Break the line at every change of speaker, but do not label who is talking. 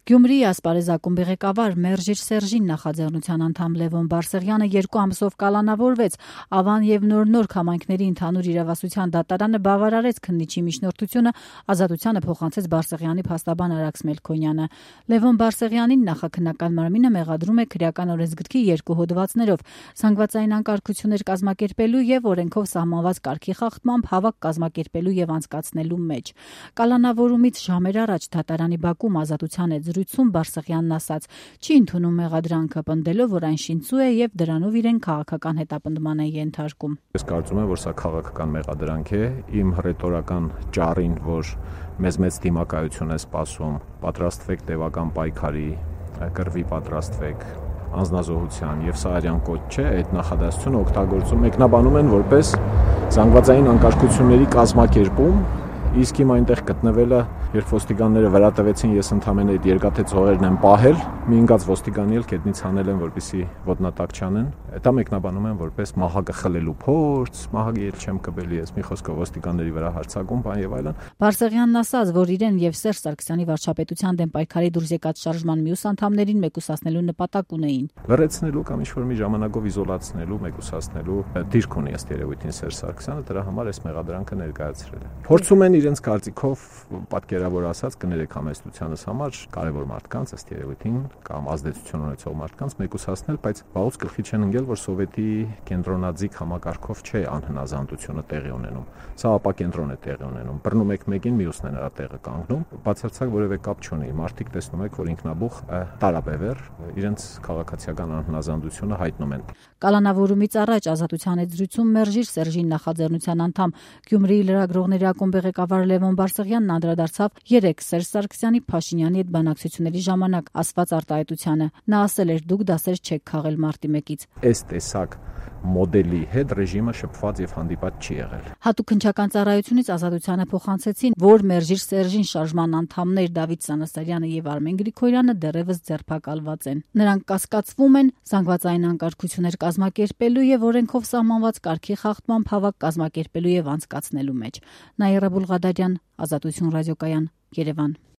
Գյումրիի ասպարեզ ակումբի ղեկավար Մերժիր Սերժին նախաձեռնության անդամ Լևոն Բարսեղյանը 2 ամսով կալանավորվեց։ Ավան եւ Նոր համայնքների ընդհանուր իրավասության դատարանը բավարարեց քննիչի միջնորդությունը, ազատությանը փոխանցեց Բարսեղյանի փաստաբան Արաքս Մելքոնյանը։ Լևոն Բարսեղյանին նախաքննական մարմինը մեղադրում է քրեական օրենսգրքի 2 հոդվածներով՝ զանգվածային անկարգություններ կազմակերպելու եւ օրենքով սահմանված կարգի խախտմամբ հավաք կազմակերպելու եւ անցկացնելու մեջ։ Կալանավորումից ժամեր առաջ դատարանի բակում ազատության զրույցում Բարսեղյանն ասաց. չի ընդունում մեղադրանքը, պնդելով, որ այն շինծու է եւ դրանով իրեն քաղաքական հետապնդման է ենթարկում։
Ես կարծում եմ, որ սա քաղաքական մեղադրանք է, իմ հռետորական ճառին, որ մեծ դիմակայություն է սպասում, պատրաստվեք տևական պայքարի, կռվի պատրաստվեք, անձնազոհության եւ սա արյան կոչ չէ, այդ նախադասությունը օգտագործում մեկնաբանում են որպես զանգվածային անկարգությունների կազմակերպում, իսկ իմ այնտեղ գտնվելը, երբ ոստիկանները վրա տվեցին, ես ընդամենը այդ երկաթե ծողերն եմ պահել, մի ընկած ոստիկանի էլ կետնից հանել են, որպեսզի ոտնատակ չանեն։ Դա մեկնաբանում են որպես մահակը խլելու փորձ, մահակի էլ չեմ կբելի, ես մի խոսքով ոստիկանների վրա հարձակում, բան եւ այլն։
Բարսեղյանն ասաց, որ իրեն եւ Սերժ Սարգսյանի վարչապետության դեմ պայքարի դուրս եկած շարժման մյուս անդամներին մեկուսացնելու նպատակ ունեին։
Լրացնելու կամ ինչ-որ մի ժամանակով իզոլացնելու, մեկուսացնելու դիրք ունի ըստ երևույթին Սերժ Սարգսյանը, դրա համար այս մեղադրանքը ներկայացրել է։ Փորձում են իրենց կարծիքով պատկերավոր ասած կներեք համեստությանս համար կարևոր մարդկանց ըստ երևույթին կամ ազդեցություն ունեցող մարդկանց մեկուսացնել, բայց վաղուց գլխի չեն ընկել, որ սովետի կենտրոնաձիգ համակարգով չէ անհնազանդությունը տեղի ունենում։ Սա ապակենտրոն է տեղի ունենում։ Բռնում եք մեկին, մյուսն է նրա տեղը կանգնում, բացարձակ որևէ կապ չունի։ Մարդիկ տեսնում եք, որ ինքնաբուխ տարաբևեռ իրենց քաղաքացիական անհնազանդությունը հայտնում են։
Կալանավորումից առաջ ազատության զրույցում Մերժիր Սերժին նախաձեռնության անդամ Գյումրիի լրագրողների ակումբի ղեկավար Լևոն Բարսեղյանն անդրադարձավ 3 Սերժ Սարգսյանի Փաշինյանի հետ բանակցությունների ժամանակ ասված արտահայտությանը։ Նա ասել էր՝ դուք դասեր չեք քաղել մարտի 1-ից։
Այս տեսակ մոդելի հետ ռեժիմը շփված եւ հանդիպած չի եղել։
Հատուկ քննչական ծառայությունից ազատությանը փոխանցեցին, որ Մերժիր Սերժին շարժման անդամներ Դավիթ Սանասարյանը եւ Արմեն Գրիգորյանը դեռևս ձերբակալված են։ Նրանք կասկածվում են զանգվածային անկարգություններ կազմակերպելու եւ օրենքով սահմանված կարգի խախտմամբ հավաք կազմակերպելու եւ անցկացնելու մեջ։ Նաիրա Բուլղադարյան, Ազատություն ռադիոկայան, Երևան։